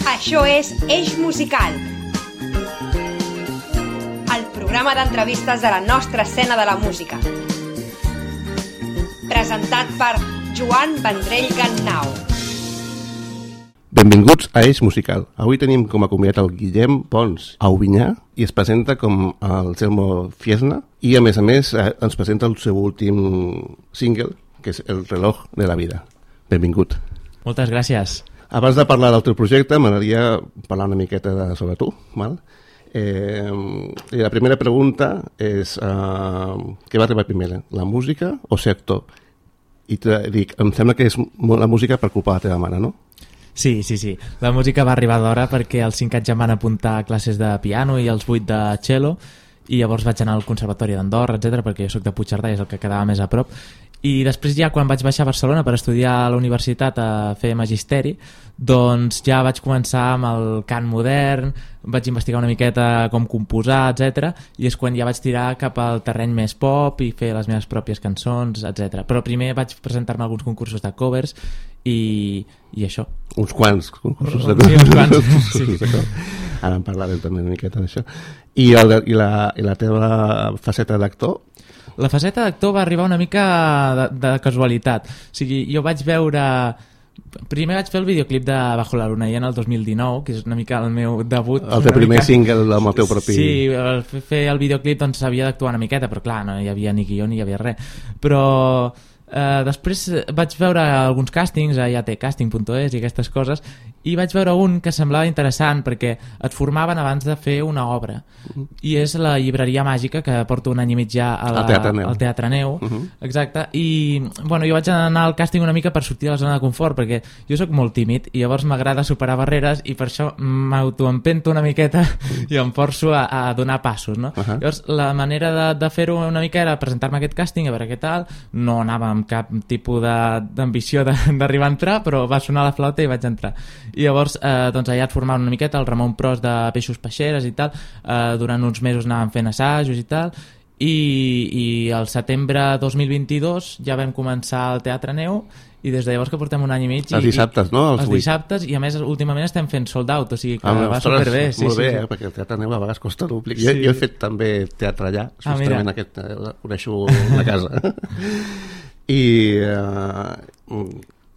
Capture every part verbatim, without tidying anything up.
Això és Eix Musical, el programa d'entrevistes de la nostra escena de la música. Presentat per Joan Vendrell Gannau. Benvinguts a Eix Musical. Avui tenim com a convidat el Guillem Pons Aubinyà i es presenta com el Selmo Fiesna i a més a més ens presenta el seu últim single, que és El reloj de la vida. Benvingut. Moltes gràcies. Abans de parlar del teu projecte, m'agradaria parlar una miqueta de, sobre tu. Val? Eh, la primera pregunta és uh, què va arribar primer, la música o ser actor? I te dic, em sembla que és la música per culpa de la teva mare, no? Sí, sí, sí. La música va arribar d'hora perquè als cinc anys em van apuntar a classes de piano i als vuit de cello i llavors vaig anar al Conservatori d'Andorra, etcètera, perquè jo soc de Puigcerdà i és el que quedava més a prop. I després ja quan vaig baixar a Barcelona per estudiar a la universitat a fer magisteri, doncs ja vaig començar amb el cant modern, vaig investigar una miqueta com composar, etcètera, i és quan ja vaig tirar cap al terreny més pop i fer les meves pròpies cançons, etcètera. Però primer vaig presentar-me a alguns concursos de covers i, i això. Uns quants concursos de covers. Sí, uns quants. Sí. Ara en parlarem també una miqueta d'això. I, el, i, la, i la teva faceta d'actor? La faceta d'actor va arribar una mica de, de casualitat. O sigui, jo vaig veure... Primer vaig fer el videoclip de Bajo la luna i en el dos mil dinou, que és una mica el meu debut. El teu primer mica... single amb el teu propi... Sí, el fer el videoclip doncs havia d'actuar una miqueta, però clar, no hi havia ni guió ni hi havia res. Però eh, després vaig veure alguns càstings a iatecasting punt es i aquestes coses, i vaig veure un que semblava interessant perquè et formaven abans de fer una obra. Uh-huh. I és la llibreria màgica que porto un any i mig ja a la, Teatre Neu. al Teatre Neu. Uh-huh. Exacte. I bueno, jo vaig anar al càsting una mica per sortir de la zona de confort perquè jo sóc molt tímid i llavors m'agrada superar barreres i per això m'autoempento una miqueta i em forço a, a donar passos, no? Uh-huh. Llavors la manera de, de fer-ho una mica era presentar-me a aquest càsting, a veure què tal. No anava amb cap tipus d'ambició d'arribar a entrar, però va sonar la flauta i vaig entrar. I llavors eh, doncs allà et formaven una miqueta el Ramon Pros de Peixos Peixeres i tal, eh, durant uns mesos anàvem fent assajos i tal, i, i al setembre dos mil vint-i-dos ja vam començar el Teatre Neu i des de llavors que portem un any i mig i, els dissabtes, no? Els, els dissabtes, i a més últimament estem fent sold out, o sigui que ah, va superbé. Sí, molt bé, sí, sí. Eh? Perquè el Teatre Neu a vegades costa dúplic. Sí. Jo, jo he fet també teatre allà, justament ah, aquest, eh, coneixo la casa. I eh,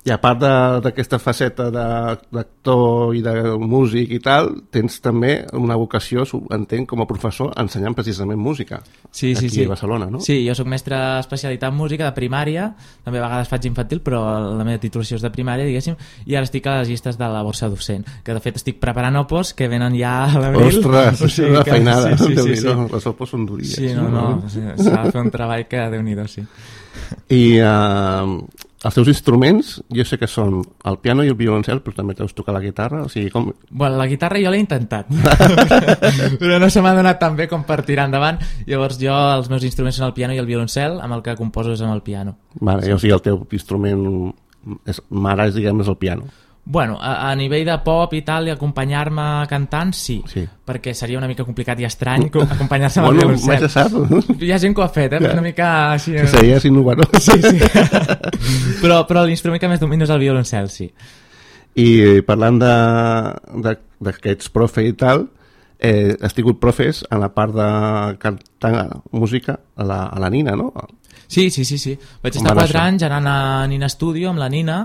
i a part d'aquesta faceta d'actor i de músic i tal, tens també una vocació, entenc, com a professor ensenyant precisament música sí, sí, aquí sí. a Barcelona, no? Sí, jo soc mestre especialitat en música de primària, també a vegades faig infantil, però la meva titulació és de primària, diguéssim, i ara estic a les llistes de la borsa docent, que de fet estic preparant opos que venen ja a l'abril. Ostres, o sigui, una que... feinada, sí, sí, sí, sí. Les opos són duries. Sí, no, no, no. S'ha de fer un treball que Déu-n'hi-do, sí. I uh, els teus instruments, jo sé que són el piano i el violoncel, però també deus tocar la guitarra, o sigui, com... Bueno, la guitarra jo l'he intentat, però no se m'ha donat tan bé com per tirar endavant, llavors jo, els meus instruments són el piano i el violoncel, amb el que composo és amb el piano. Vale, sí. O sigui, el teu instrument és, mare, és, diguem, és el piano. Bueno, a, a nivell de pop i tal, i acompanyar-me cantant, sí, sí, perquè seria una mica complicat i estrany acompanyar-se amb bueno, el violoncel. Mai se sap. Hi ha gent que ho ha fet, eh? Ja. Una mica així... Que seria innovador. Sí, sí. però, però l'instrument que més domino és el violoncel, sí. I parlant de, de, de que ets profe i tal, eh, has tingut profes en la part de cantar música a la, a la Nina, no? Sí, sí, sí, sí. Vaig estar quatre anys anant a Nina Studio amb la Nina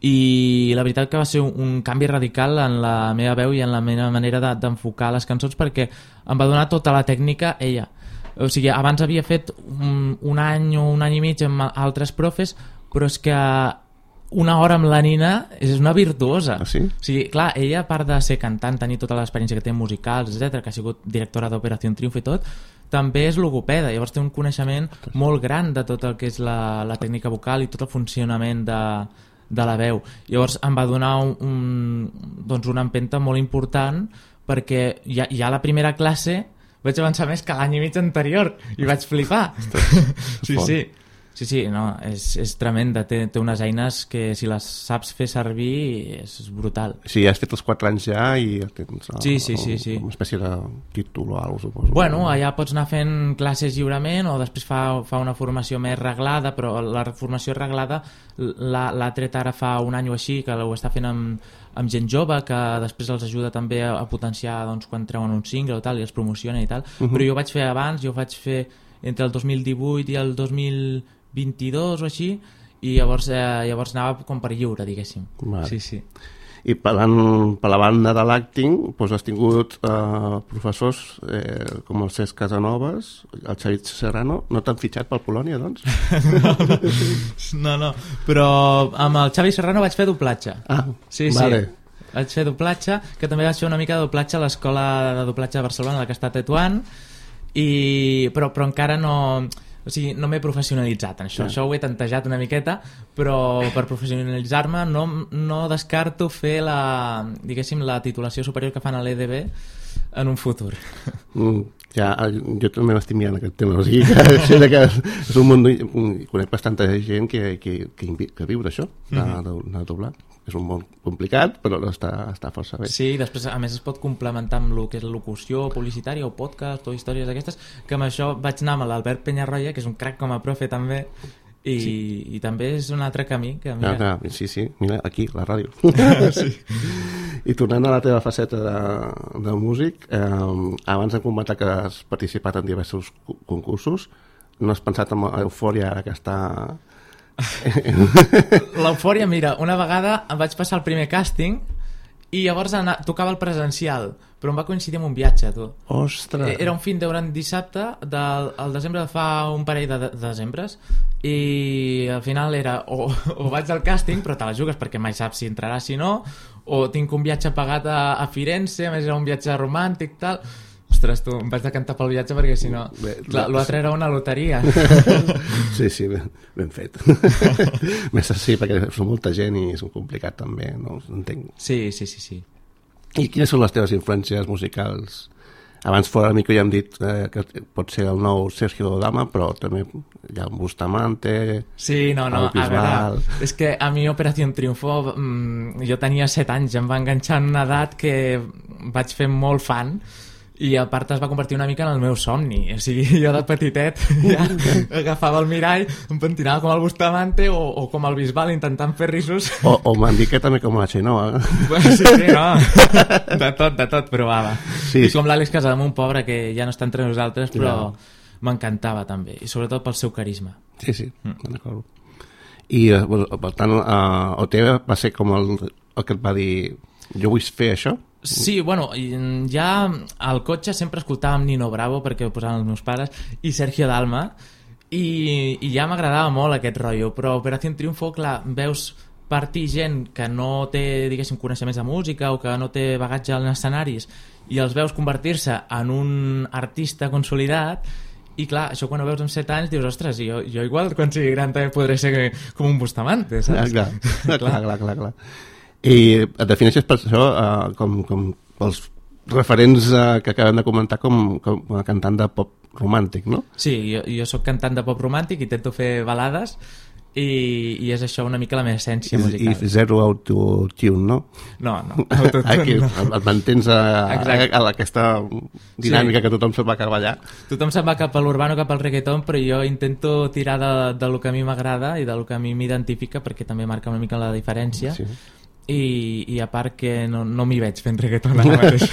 i la veritat que va ser un, un canvi radical en la meva veu i en la meva manera de, d'enfocar les cançons perquè em va donar tota la tècnica ella. O sigui, abans havia fet un, un any o un any i mig amb altres profes, però és que una hora amb la Nina és una virtuosa. Ah, sí? O sigui, clar, ella, a part de ser cantant, tenir tota l'experiència que té en musicals, etcètera, que ha sigut directora d'Operació Triunfo i tot, també és logopeda, llavors té un coneixement molt gran de tot el que és la, la tècnica vocal i tot el funcionament de, de la veu. Llavors em va donar un, un, doncs una empenta molt important perquè ja, ja a la primera classe vaig avançar més que l'any i mig anterior i vaig flipar. Ostres, sí, sí. Sí, sí, no, és, és tremenda. Té, té unes eines que si les saps fer servir és, és brutal. Sí, has fet els quatre anys ja i tens uh, sí, sí, sí, sí. una espècie de títol o alguna cosa, suposo. Bueno, allà pots anar fent classes lliurement o després fa, fa una formació més reglada, però la formació reglada l'ha tret ara fa un any o així, que ho està fent amb, amb gent jove, que després els ajuda també a, a potenciar doncs, quan treuen un single o tal, i els promocionen i tal. Uh-huh. Però jo ho vaig fer abans, jo ho vaig fer entre el dos mil divuit i el dos mil vint-i-dos o així, i llavors, eh, llavors anava com per lliure, diguéssim. Vale. Sí, sí. I parlant per la banda de l'acting, doncs has tingut eh, professors eh, com el Cesc Casanovas, el Xavi Serrano. No t'han fitxat pel Polònia, doncs? no, no, però amb el Xavi Serrano vaig fer doblatge. Ah, sí, vale. Sí. Vaig fer doblatge, que també vaig fer una mica de doblatge a l'escola de doblatge de Barcelona, la que està a Tetuan, i... però, però encara no... O sigui, no m'he professionalitzat en això. Yeah. Això ho he tantejat una miqueta, però per professionalitzar-me no, no descarto fer la, diguéssim, la titulació superior que fan a l'E D B en un futur. Mm, ja, jo també m'estic mirant aquest tema. O sigui, que, que és un món... Conec bastanta gent que, que, que, que viu d'això, de, de, de doblar. És un món complicat, però està, està força bé. Sí, després a més es pot complementar amb el que és la locució publicitària o podcast o històries d'aquestes, que amb això vaig anar amb l'Albert Peñarroya, que és un crac com a profe també, i, sí. i també és un altre camí que mira... Ah, ah, sí, sí, mira, aquí, la ràdio. Sí. I tornant a la teva faceta de, de músic, eh, abans hem comentat que has participat en diversos concursos. No has pensat en Eufòria, ara que està... L'Eufòria, mira, una vegada em vaig passar el primer càsting i llavors anar, tocava el presencial, però em va coincidir amb un viatge, tu. Ostres! Era un fin d'hora en dissabte del el desembre de fa un parell de, de desembres, i al final era o, o vaig al càsting, però te la jugues perquè mai saps si entraràs, si no, o tinc un viatge pagat a, a Firenze, a més era un viatge romàntic, tal... Ostres, tu, em vaig decantar pel viatge perquè si no... Bé, clar, l'altre era una loteria. Sí, sí, ben, ben fet. Més sí, perquè són molta gent i és complicat també, no entenc. Sí, sí, sí, sí. I quines són les teves influències musicals? Abans fora mica ja hem dit eh, que pot ser el nou Sergio Dalma, però també hi ha un Bustamante... Sí, no, no, a veure, és que a mi Operación Triunfo, mmm, jo tenia set anys, em va enganxar en una edat que vaig fer molt fan, i a part es va convertir una mica en el meu somni. O sigui, jo de petitet ja agafava el mirall, em pentinava com el Bustamante o, o com el Bisbal intentant fer risos. O, o m'han dit que també com la Xenoa. Bueno, sí, sí, no. De tot, de tot provava. Sí. I com l'Àlex Casademunt, pobre, que ja no està entre nosaltres, però ja. M'encantava també. I sobretot pel seu carisma. Sí, sí, mm. D'acord. I, per tant, uh, O T va ser com el, el que et va dir jo vull fer això? Sí, bueno, ja al cotxe sempre escoltàvem Nino Bravo perquè ho posaven els meus pares i Sergio Dalma i, i ja m'agradava molt aquest rotllo, però Operación Triunfo, clar, veus partir gent que no té, diguéssim, coneixements de música o que no té bagatge en escenaris i els veus convertir-se en un artista consolidat i clar, això quan ho veus amb set anys dius, ostres, jo, jo igual quan sigui gran també podré ser com un Bustamante, saps? Clar, clar, clar, clar, clar, clar. I et defineixes per això uh, com, com els referents uh, que acabem de comentar com, com a cantant de pop romàntic, no? Sí, jo, jo soc cantant de pop romàntic, intento fer balades i, i és això una mica la meva essència musical. I zero autotune, no? No, no, autotune Aquí, no. Et mantens a, a, a aquesta dinàmica sí. Que tothom se'n va cap allà. Tothom se'n va cap a l'urbano, cap al reggaeton, però jo intento tirar de, de lo que a mi m'agrada i de lo que a mi m'identifica perquè també marca una mica la diferència. Sí. I, i a part que no, no m'hi veig fent reggaeton ara mateix.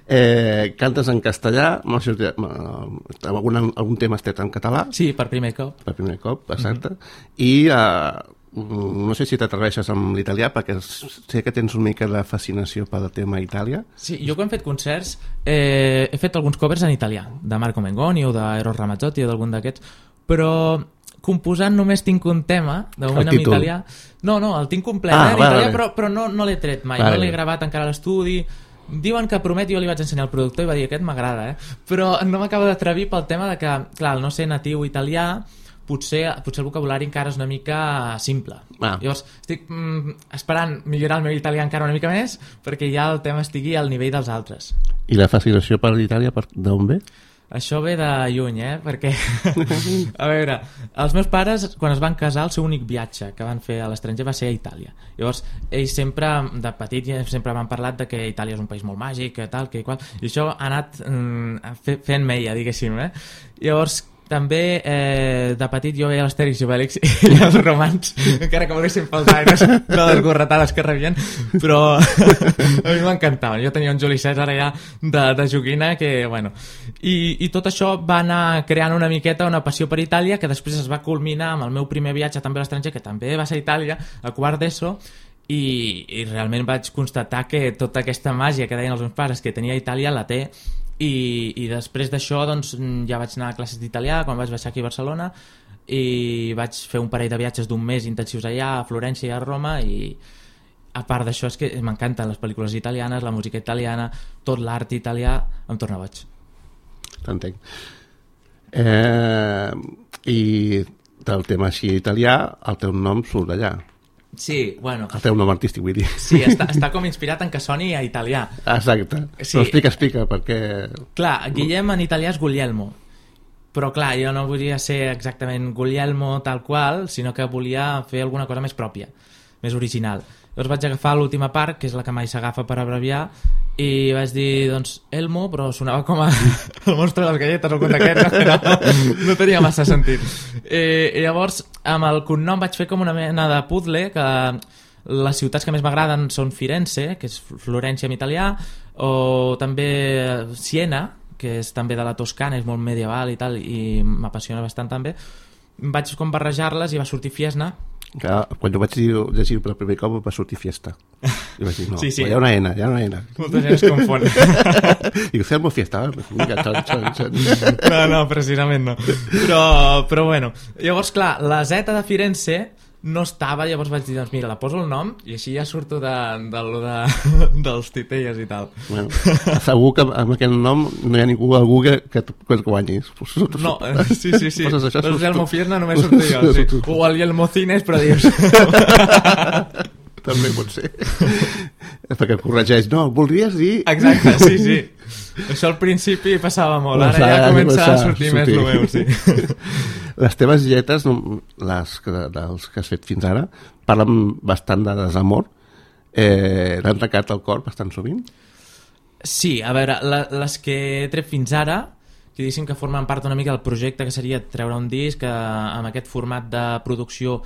eh, cantes en castellà, algun, algun tema has tret en català? Sí, per primer cop. Per primer cop, exacte. Mm-hmm. I uh, no sé si t'atreveixes amb l'italià, perquè sé que tens una mica de fascinació pel tema Itàlia. Sí, jo quan he fet concerts eh, he fet alguns covers en italià, de Marco Mengoni o d'Eros Ramazzotti o d'algun d'aquests, però composant només tinc un tema de moment en italià. No, no, el tinc complet ah, eh, en italià, vale. però, però no, no l'he tret mai, vale. No l'he gravat encara a l'estudi. Diuen que promet, jo li vaig ensenyar al productor i va dir aquest m'agrada, eh? Però no m'acaba d'atrevir pel tema de que, clar, al no ser natiu italià, potser, potser el vocabulari encara és una mica simple. Ah. Llavors, estic mm, esperant millorar el meu italià encara una mica més perquè ja el tema estigui al nivell dels altres. I la fascinació per l'Itàlia d'on ve? això ve de lluny, eh? Perquè, a veure, els meus pares, quan es van casar, el seu únic viatge que van fer a l'estranger va ser a Itàlia. Llavors, ells sempre, de petit, sempre m'han parlat de que Itàlia és un país molt màgic, que tal, que qual, i això ha anat mm, fent meia, diguéssim, eh? Llavors, també eh, de petit jo veia l'Astèrix i Obèlix i els romans, encara que m'haguessin faltat de les gorretades que rebien, però a mi m'encantaven. Jo tenia un Juli César allà de, de joguina que, bueno, i, i tot això va anar creant una miqueta una passió per Itàlia, que després es va culminar amb el meu primer viatge també a l'estranger, que també va ser a Itàlia, a quart d'ESO, i, i realment vaig constatar que tota aquesta màgia que deien els meus pares que tenia Itàlia la té. I, i després d'això doncs, ja vaig anar a classes d'italià quan vaig baixar aquí a Barcelona i vaig fer un parell de viatges d'un mes intensius allà a Florència i a Roma, i a part d'això és que m'encanten les pel·lícules italianes, la música italiana, tot l'art italià, em torna boig. T'entenc. Eh, I del tema així italià, el teu nom surt d'allà. Sí, bueno... El teu nom artístic, vull dir. Sí, està, està com inspirat en que soni a italià. Exacte. Sí. Però explica, explica, perquè... Clar, Guillem en italià és Guglielmo. Però clar, jo no volia ser exactament Guglielmo tal qual, sinó que volia fer alguna cosa més pròpia, més original. Llavors vaig agafar l'última part, que és la que mai s'agafa per abreviar, i vaig dir, doncs, Elmo, però sonava com a el monstre de les galletes o conte aquest, no, no, no tenia massa sentit. I, i llavors, amb el cognom vaig fer com una mena de puzzle, que les ciutats que més m'agraden són Firenze, que és Florència en italià, o també Siena, que és també de la Toscana, és molt medieval i tal, i m'apassiona bastant també. Vaig com barrejar-les i va sortir Fiesna. Clar, quan jo vaig llegir per primer cop va sortir Fiesta. I vaig dir, no, sí, sí. hi ha una N, hi ha una N. Molta gent es confon. Dic, Fermo Fiesta. No, no, precisament no. Però, però bueno, llavors clar, la Z de Firenze no estava, llavors vaig dir, doncs mira, la poso el nom i així ja surto de, de, de, dels titelles i tal. Bueno, segur que amb aquest nom no hi ha ningú a Google que, que et guanyis. No, sí, sí, sí. El Yelmo Fiesna només surto jo, sí. O el Yelmo Cines, però dius... També pot ser. Perquè corregeix, no, voldries dir... Exacte, sí, sí. Això al principi passava molt, ara ja comença a sortir més el meu, sí. Les teves lletres, les que, dels que has fet fins ara, parlen bastant de desamor. Eh, L'han tancat al cor bastant sovint? Sí, a veure, la, les que he tret fins ara, que diguéssim que formen part una mica del projecte, que seria treure un disc eh, amb aquest format de producció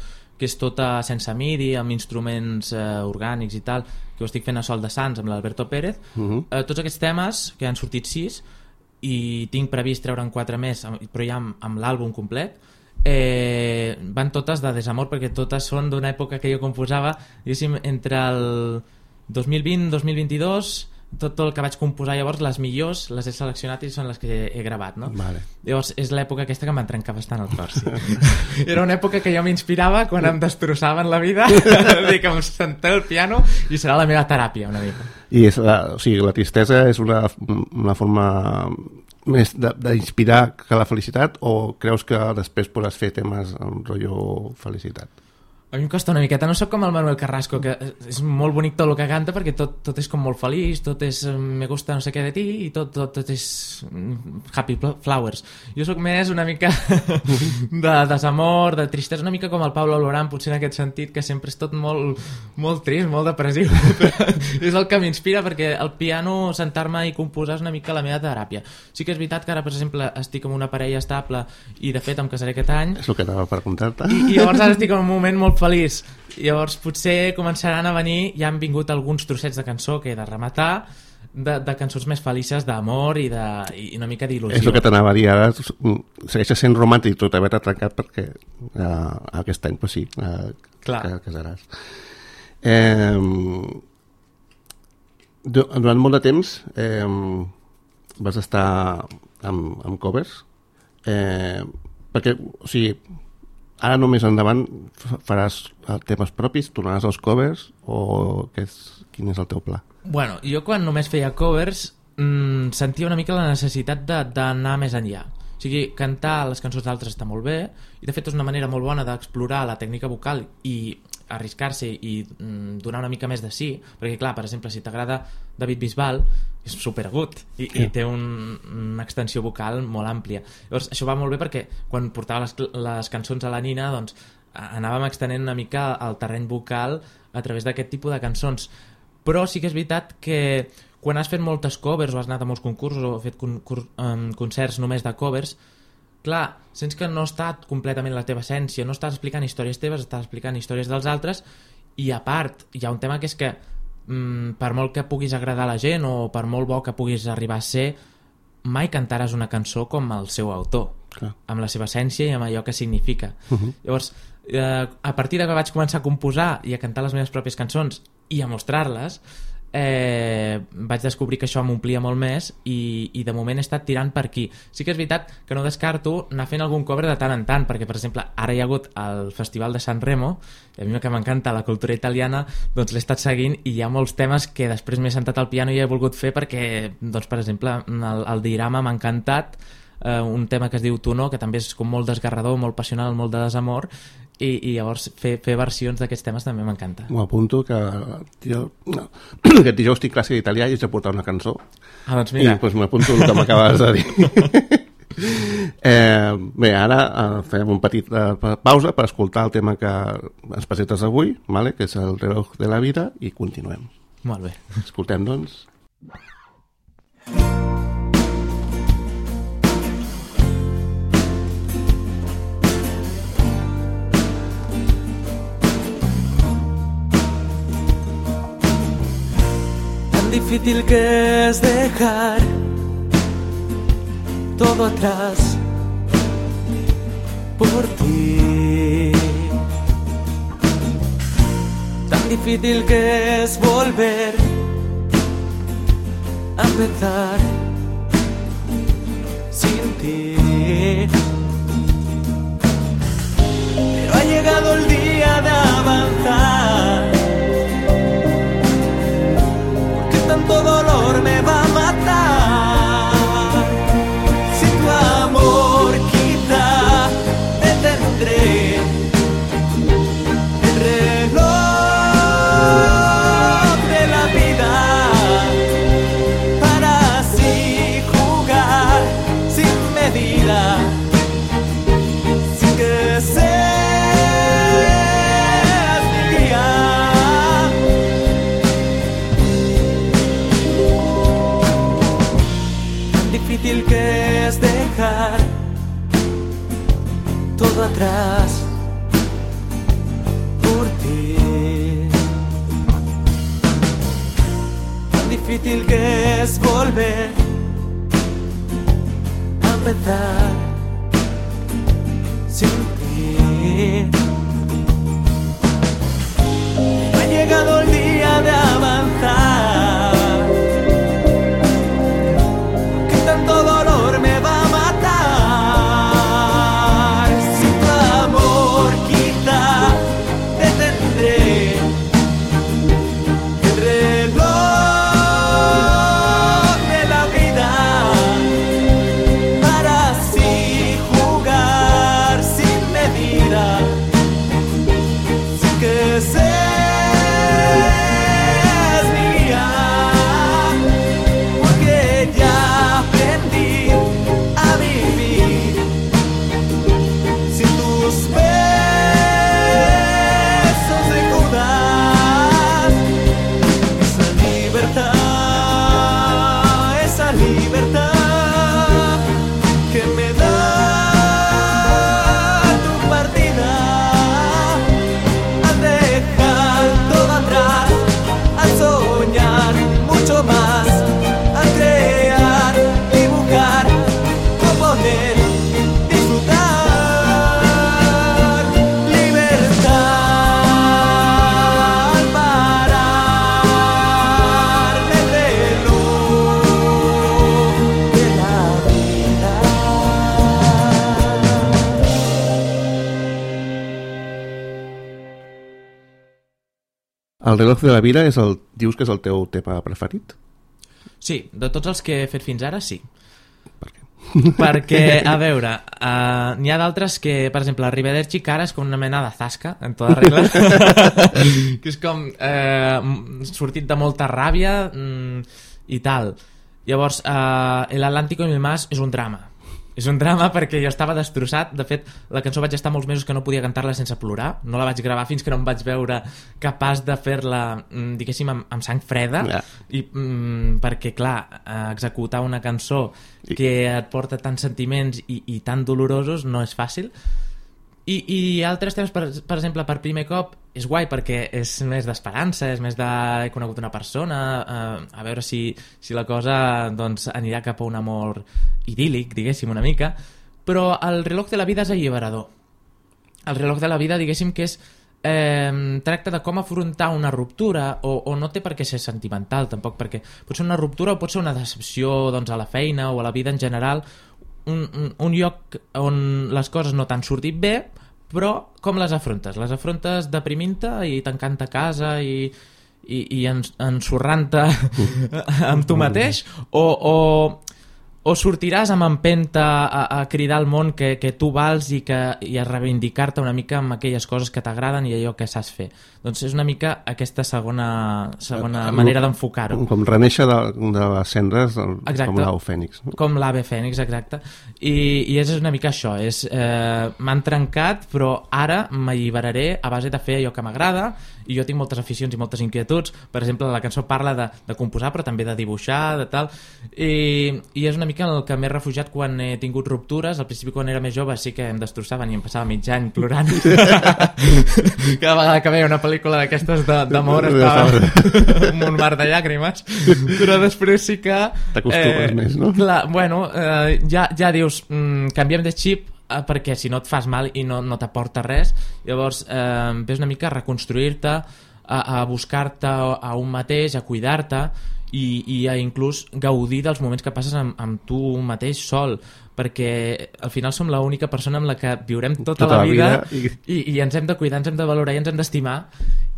que és tota sense midi, amb instruments eh, orgànics i tal, que ho estic fent a Sol de Sants amb l'Alberto Pérez. Uh-huh. eh, tots aquests temes, que han sortit sis, i tinc previst treure en quatre més, però ja amb, amb l'àlbum complet, eh, van totes de desamor, perquè totes són d'una època que jo composava, diguéssim, entre el dos mil vint i dos mil vint-i-dos, tot el que vaig composar llavors, les millors les he seleccionat i són les que he, he gravat, no? Vale. Llavors és l'època aquesta que em va trencar bastant el cor, sí. Era una època que jo m'inspirava quan em destrossaven la vida, de que em senté al piano i serà la meva teràpia una mica. I és la, o sigui, la tristesa és una, una forma més d'inspirar que la felicitat, o creus que després podràs fer temes amb rotllo felicitat? A mi em costa una miqueta, no sóc com el Manuel Carrasco, que és molt bonic tot el que canta perquè tot, tot és com molt feliç, tot és me gusta no sé què de ti i tot, tot, tot és happy flowers. Jo sóc més una mica de desamor, de tristesa, una mica com el Pablo Alborán, potser en aquest sentit, que sempre és tot molt, molt trist, molt depressiu. És el que m'inspira, perquè el piano, sentar-me i composar és una mica la meva teràpia. Sí que és veritat que ara, per exemple, estic amb una parella estable i de fet em casaré aquest any. És el que anava per contar-te. I, i llavors ara estic en un moment molt feliç. Llavors potser començaran a venir, ja han vingut alguns trossets de cançó que he de rematar, de, de cançons més felices d'amor i, de, i una mica d'il·lusió. És el que t'anava a dir, ara segueixes sent romàntic tot haver-te trencat perquè uh, aquest any, pues sí, uh, Clar. que casaràs. Eh, durant molt de temps eh, vas estar amb, amb covers, eh, perquè, o sigui, ara només endavant faràs temes propis, tornaràs als covers o què és, quin és el teu pla? Bueno, jo quan només feia covers mmm, sentia una mica la necessitat d'anar més enllà. O sigui, cantar les cançons d'altres està molt bé i de fet és una manera molt bona d'explorar la tècnica vocal i arriscar-se i mm, donar una mica més de sí, perquè clar, per exemple, si t'agrada David Bisbal, és superagut i, sí. i té un, una extensió vocal molt àmplia. Llavors això va molt bé perquè quan portava les, les cançons a la Nina, doncs anàvem extenent una mica el terreny vocal a través d'aquest tipus de cançons. Però sí que és veritat que quan has fet moltes covers o has anat a molts concursos o has fet con um, concerts només de covers, clar, sents que no està completament la teva essència, no estàs explicant històries teves, estàs explicant històries dels altres, i a part hi ha un tema que és que mm, per molt que puguis agradar a la gent o per molt bo que puguis arribar a ser, mai cantaràs una cançó com el seu autor, clar, amb la seva essència i amb allò que significa. Uh-huh. Llavors, eh, a partir de que vaig començar a composar i a cantar les meves pròpies cançons i a mostrar-les, Eh, vaig descobrir que això m'omplia molt més i, i de moment he estat tirant per aquí. Sí que és veritat que no descarto anar fent algun cover de tant en tant, perquè per exemple ara hi ha hagut el Festival de San Remo i a mi que m'encanta la cultura italiana, doncs l'he estat seguint i hi ha molts temes que després m'he sentat al piano i he volgut fer perquè, doncs per exemple el, el Dirama m'ha encantat, eh, un tema que es diu Tu no, que també és com molt desgarrador, molt passional, molt de desamor, i, i llavors fer, fer versions d'aquests temes també m'encanta. M'ho apunto que jo, no, aquest dijous estic classe d'italià i haig de portar una cançó. Ah, doncs mira. I doncs m'apunto el que m'acabes de dir. eh, bé, ara eh, fem un petit eh, pausa per escoltar el tema que ens presentes avui, vale? Que és el reloj de la vida, i continuem. Molt bé. Escoltem, doncs. Difícil que es dejar todo atrás por ti. Tan difícil que es volver a empezar sin ti. Pero ha llegado el día de avanzar. Tanto dolor me va a matar. Si tu amor quizá detendré el reloj de la vida para así jugar sin medida, sin que seas mi guía. Difícil que es dejar todo atrás por ti. Tan difícil que es volver a empezar sin ti. Ha llegado el día de avanzar. Tanto dolor me va a matar. Si tu amor quizá detendré el reloj de la vida para así jugar sin medida, sin que seas mi guía, porque ya aprendí a vivir sin tus besos de Judas. Esa libertad, esa libertad que me da tu partida, al dejar todo atrás, al soñar mucho más, al crear, dibujar, componer, disfrutar, libertad, al parar el reloj de la vida. El reloj de la vida és el, dius que és el teu tema preferit? Sí, de tots els que he fet fins ara, sí. Per què? perquè, a veure, uh, n'hi ha d'altres que, per exemple, Arrivederci cara és com una mena de zasca, en tota regla, que és com eh, sortit de molta ràbia mm, i tal. Llavors, uh, El Atlántico y el Más és un drama. És un drama perquè jo estava destrossat. De fet, la cançó vaig estar molts mesos que no podia cantar-la sense plorar. No la vaig gravar fins que no em vaig veure capaç de fer-la, diguéssim, amb, amb sang freda. Yeah. I, mm, perquè, clar, executar una cançó que et porta tants sentiments i, i tan dolorosos no és fàcil. I, i altres temes, per, per exemple, per primer cop és guai perquè és més d'esperança, és més de he conegut una persona, eh, a veure si, si la cosa doncs, anirà cap a un amor idíl·lic, diguéssim, una mica, però el reloj de la vida és alliberador. El reloj de la vida, diguéssim, que és eh, tracta de com afrontar una ruptura, o, o no té per què ser sentimental tampoc, perquè pot ser una ruptura o pot ser una decepció doncs, a la feina o a la vida en general, Un, un, un lloc on les coses no t'han sortit bé, però com les afrontes? Les afrontes deprimint-te i tancant-te a casa i, i, i ensorrant-te amb tu mateix, o, o, o sortiràs amb empenta a, a cridar al món que, que tu vals i, que, i a reivindicar-te una mica amb aquelles coses que t'agraden i allò que saps fer. Doncs és una mica aquesta segona, segona uh, manera d'enfocar-ho. Com renéixer de, de les cendres, exacte, com l'au fènix. No? Com l'ave fènix, exacte. I, i és una mica això. És, eh, m'han trencat, però ara m'alliberaré a base de fer allò que m'agrada, i jo tinc moltes aficions i moltes inquietuds. Per exemple, la cançó parla de, de composar, però també de dibuixar, de tal. I, i és una mica el que m'he refugiat quan he tingut ruptures. Al principi, quan era més jove, sí que em destrossaven i em passava mig any plorant. Cada vegada que veia una pel·lícula d'aquestes d'amor estava amb un mar de llàgrimes, però després sí que t'acostumes eh, més, no? Clar, bueno, eh, ja, ja dius mm, canviem de xip, eh, perquè si no et fas mal i no, no t'aporta res. Llavors eh, ves una mica a reconstruir-te, a, a buscar-te a un mateix, a cuidar-te i, i a inclús gaudir dels moments que passes amb, amb tu mateix sol, perquè al final som l'única persona amb la que viurem tota, tota la vida, la vida i... I, i ens hem de cuidar, ens hem de valorar i ens hem d'estimar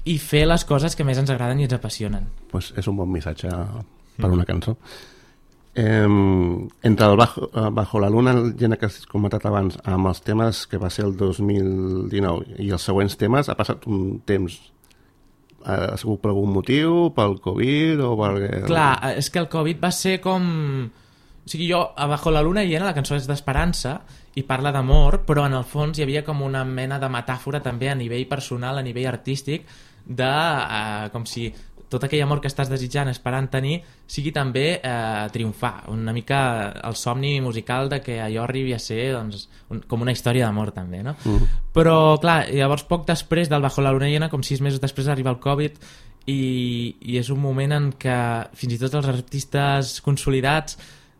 i fer les coses que més ens agraden i ens apassionen. Pues és un bon missatge per una cançó. Eh, entre el Bajo, Bajo la Luna, el gènere que has comentat abans, amb els temes que va ser el dos mil dinou i els següents temes, ha passat un temps. Ha sigut per algun motiu, pel Covid o per... Clar, és que el Covid va ser com... O sigui, jo, a Bajo la Luna llena, la cançó és d'esperança i parla d'amor, però en el fons hi havia com una mena de metàfora també a nivell personal, a nivell artístic, de uh, com si tot aquell amor que estàs desitjant, esperant tenir, sigui també eh, triomfar. Una mica el somni musical de que allò arribi a ser doncs, un, com una història d'amor també, no? Mm. Però, clar, llavors poc després del Bajo la Luna llena, com sis mesos després arriba el Covid i, i és un moment en què fins i tot els artistes consolidats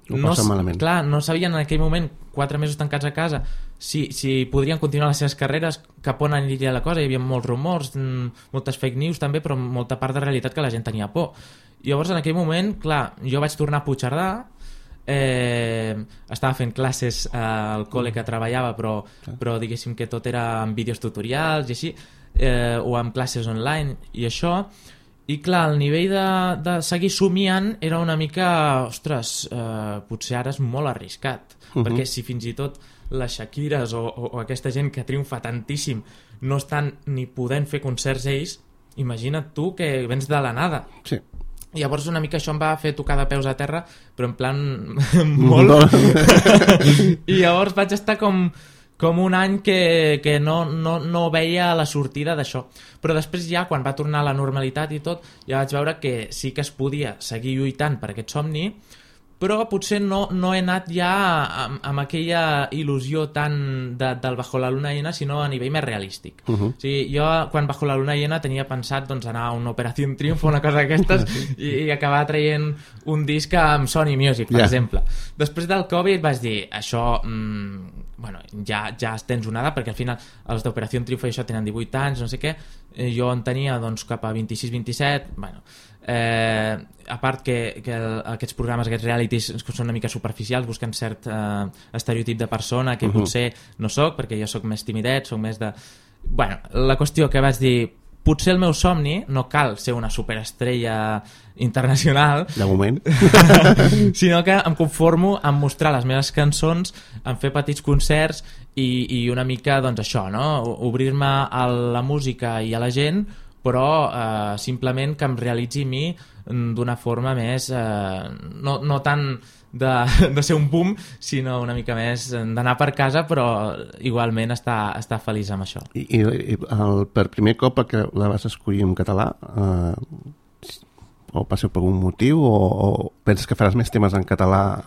no, clar, no sabien en aquell moment, quatre mesos tancats a casa, si, si podrien continuar les seves carreres, cap on aniria la cosa. Hi havia molts rumors, moltes fake news també, però molta part de realitat que la gent tenia por. I llavors en aquell moment, clar, jo vaig tornar a Puigcerdà, eh, estava fent classes al col·le que treballava, però, però diguéssim que tot era amb vídeos tutorials i així, eh, o amb classes online i això. I clar, el nivell de, de seguir somiant era una mica, ostres, eh, potser ara és molt arriscat, uh-huh. perquè si fins i tot les Shakires o, o, o aquesta gent que triomfa tantíssim no estan ni podent fer concerts ells, imagina't tu que vens de la nada. Sí. I llavors una mica això em va fer tocar de peus a terra, però en plan molt... I llavors vaig estar com... com un any que, que no, no, no veia la sortida d'això. Però després ja, quan va tornar a la normalitat i tot, ja vaig veure que sí que es podia seguir lluitant per aquest somni, però potser no, no he anat ja amb, amb aquella il·lusió tan de, del Bajo la Luna llena, sinó a nivell més realístic. Uh-huh. O sigui, jo, quan Bajo la Luna llena, tenia pensat doncs, anar a una Operació Triunfo, una cosa d'aquestes, i, i acabar traient un disc amb Sony Music, per yeah. exemple. Després del Covid vaig dir, això... Mmm, bueno, ja, ja tens una edat, perquè al final els d'Operació Triunfo i això tenen divuit anys, no sé què, eh, jo en tenia doncs, cap a vint-i-sis vint-i-set, bueno, eh, a part que, que el, aquests programes, aquests realities són una mica superficials, busquen cert eh, estereotip de persona que uh-huh. potser no soc, perquè jo sóc més timidet, soc més de... Bueno, la qüestió que vaig dir, potser el meu somni, no cal ser una superestrella internacional, de moment, sinó que em conformo en mostrar les meves cançons, en fer petits concerts i, i una mica, doncs això, no? Obrir-me a la música i a la gent, però eh, simplement que em realitzi a mi d'una forma més, eh, no, no tant de, de ser un boom, sinó una mica més d'anar per casa, però igualment estar, estar feliç amb això. I, i el, per primer cop que la vas escollir en català, eh, o va ser per algun motiu, o, o penses que faràs més temes en català?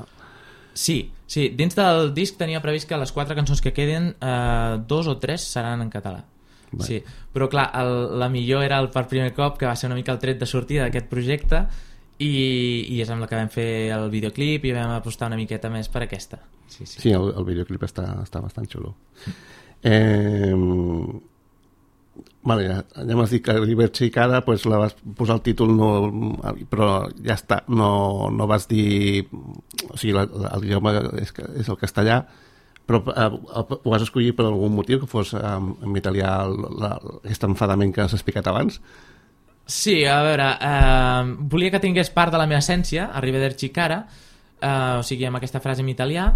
Sí, sí, dins del disc tenia previst que les quatre cançons que queden, eh, dos o tres seran en català. Bé. Sí, però clar, el, la millor era el per primer cop, que va ser una mica el tret de sortida d'aquest projecte, i, i és amb la que vam fer el videoclip i vam apostar una miqueta més per aquesta. Sí, sí. Sí, el, el videoclip està, està bastant xulo. Eh, vale, ja, ja m'has dit que Liberty Cara, pues la vas posar el títol, no, però ja està, no, no vas dir, o sigui, l'idioma és, és el castellà, però eh, ho vas escollir per algun motiu, que fos eh, en italià la, aquest enfadament que has explicat abans? Sí, a veure, eh, volia que tingués part de la meva essència, Arrivederci Cara, eh, o sigui, amb aquesta frase en italià,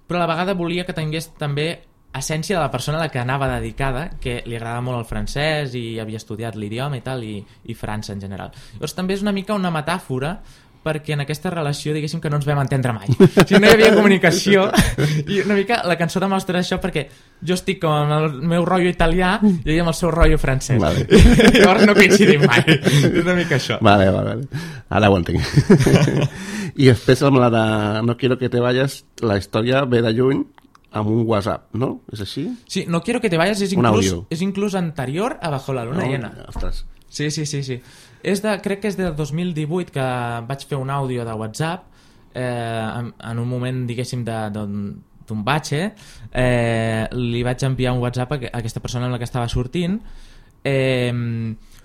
però a la vegada volia que tingués també essència de la persona a la que anava dedicada, que li agrada molt el francès i havia estudiat l'idioma i tal, i, i França en general. Llavors també és una mica una metàfora, perquè en aquesta relació, diguéssim, que no ens vam entendre mai. O sigui, no hi havia comunicació, i una mica la cançó demostra això, perquè jo estic com amb el meu rotllo italià i ella amb el seu rotllo francès. Vale. I llavors no coincidim mai. És una mica això. Vale, vale, vale. Ara ho entenc. I després amb la de No quiero que te vayas, la història ve de lluny, amb un WhatsApp, ¿no? ¿És així? Sí, No quiero que te vayas és inclús, és inclús anterior a Bajo la luna no, llena. Ostres. Sí, sí, sí, sí. És de, crec que és del dos mil divuit que vaig fer un àudio de WhatsApp eh, en, en un moment, diguéssim, d'un batxe, eh, li vaig enviar un WhatsApp a, a aquesta persona amb la que estava sortint, eh,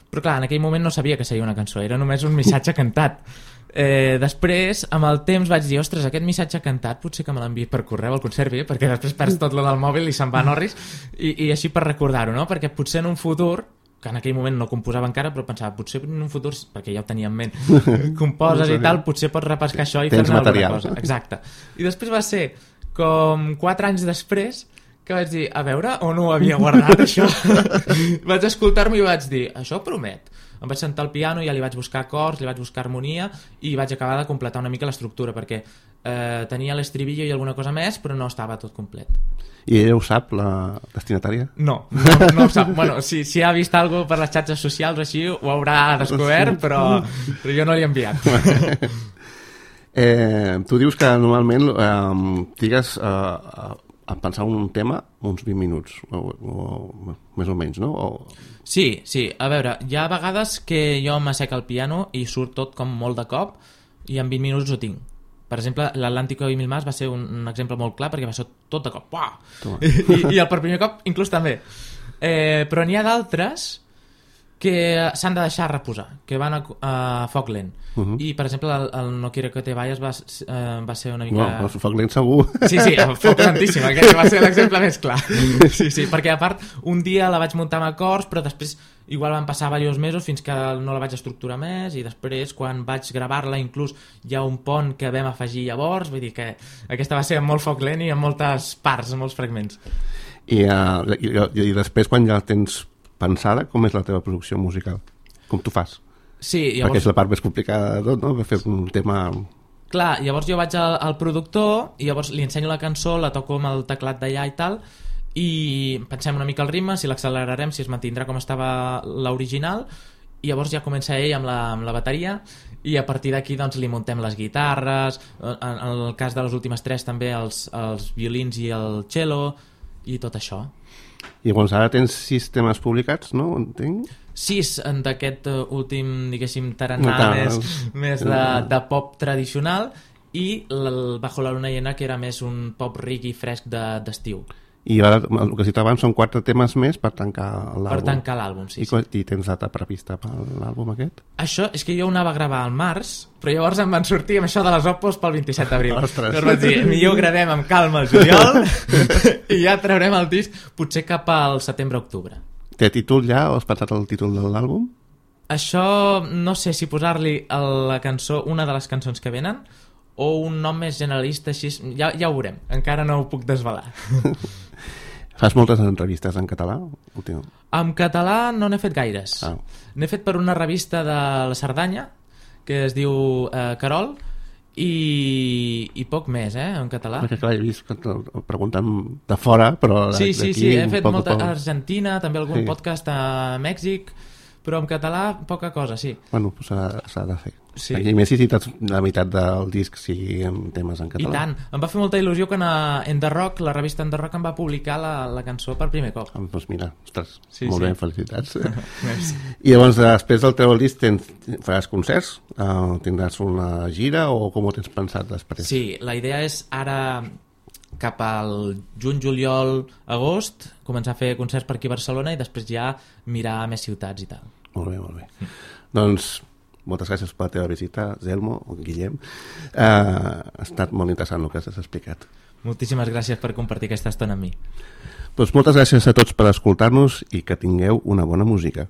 però clar, en aquell moment no sabia que seria una cançó, era només un missatge cantat. Eh, després, amb el temps vaig dir, ostres, aquest missatge cantat potser que me l'enviï per correu al conservi, perquè després perds tot lo del mòbil i se'n va a Norris, i, i així per recordar-ho, no? Perquè potser en un futur, que en aquell moment no composava encara, però pensava, potser en un futur, perquè ja ho tenia en ment, composes i tal, potser pots repescar això i fer-ne alguna cosa. Exacte. I després va ser com quatre anys després que vaig dir, a veure, on ho havia guardat això? Vaig escoltar-me i vaig dir, això promet. Em vaig sentar al piano i ja li vaig buscar acords, li vaig buscar harmonia i vaig acabar de completar una mica l'estructura, perquè eh, tenia l'estribillo i alguna cosa més, però no estava tot complet. I ella ho sap, la destinatària? No, no, no ho sap. Bueno, si, si ha vist alguna cosa per les xarxes socials o així, ho haurà descobert, però, però jo no li he enviat. eh, tu dius que normalment eh, digues eh, a pensar un tema uns vint minuts, o, o més o menys, no? O... Sí, sí. A veure, hi ha vegades que jo m'assec al piano i surt tot com molt de cop i en vint minuts ho tinc. Per exemple, l'Atlántico i Mil Más va ser un, un exemple molt clar perquè va ser tot de cop. I, i, I el per primer cop inclús també. Eh, però n'hi ha d'altres que s'han de deixar reposar, que van a, a foc lent. Uh -huh. I, per exemple, el, el No quiero que te vayas va, eh, va ser una mica... No, el foc lent segur. Sí, sí, el foc lentíssim, aquest va ser l'exemple més clar. Sí, sí, perquè a part, un dia la vaig muntar amb acords, però després igual van passar diversos mesos fins que no la vaig estructurar més, i després, quan vaig gravar-la, inclús hi ha un pont que vam afegir llavors, vull dir que aquesta va ser amb molt foc lent i amb moltes parts, amb molts fragments. I, uh, i, i després, quan ja tens pensada, com és la teva producció musical? Com tu fas? Sí, llavors... Perquè és la part més complicada de tot, no? Per fer un tema... Clar, llavors jo vaig al, al productor i llavors li ensenyo la cançó, la toco amb el teclat d'allà i tal, i pensem una mica el ritme, si l'accelerarem, si es mantindrà com estava l'original, i llavors ja comença ell amb la, amb la bateria, i a partir d'aquí doncs li muntem les guitarres, en, en el cas de les últimes tres també els, els violins i el cello, i tot això. I llavors ara tens sis temes publicats, no? Entenc? Sis d'aquest uh, últim, diguéssim, tarannà no, més, més de, de pop tradicional, i el Bajo la luna llena, que era més un pop reggae fresc d'estiu. I ara, el que citava abans, són quatre temes més per tancar l'àlbum. Per tancar l'àlbum, sí. I, sí. I tens data prevista per l'àlbum aquest? Això és que jo ho anava a gravar al març, però llavors em van sortir amb això de les Opos pel vint-i-set d'abril. Llavors vaig dir, millor gravem amb calma el juliol i ja traurem el disc potser cap al setembre-octubre. té títol ja o has pensat el títol de l'àlbum? Això no sé si posar-li a la cançó una de les cançons que venen o un nom més generalista, així ja, ja ho veurem, encara no ho puc desvelar. Fas moltes entrevistes en català? Últim. En català no n'he fet gaires. Ah. N'he fet per una revista de la Cerdanya que es diu eh, Carol i, i poc més, eh, en català. Perquè clar, he vist que et pregunten de fora, però sí, sí, sí, he fet poc, molta poc... a Argentina, també algun sí. podcast a Mèxic, però en català poca cosa, sí. Bueno, s'ha de fer. Sí. I més si cites la meitat del disc sigui en temes en català. I tant. Em va fer molta il·lusió quan a En The Rock, la revista En The Rock, em va publicar la, la cançó per primer cop. Ah, doncs mira, ostres, sí, molt sí. bé, felicitats. I llavors, després del teu disc, tens, faràs concerts? Uh, tindràs una gira o com ho tens pensat després? Sí, la idea és ara cap al juny, juliol, agost, començar a fer concerts per aquí a Barcelona i després ja mirar més ciutats i tal. Molt bé, molt bé. Mm. Doncs moltes gràcies per la teva visita, Zelmo, o Guillem. Uh, ha estat molt interessant el que has explicat. Moltíssimes gràcies per compartir aquesta estona amb mi. Doncs moltes gràcies a tots per escoltar-nos i que tingueu una bona música.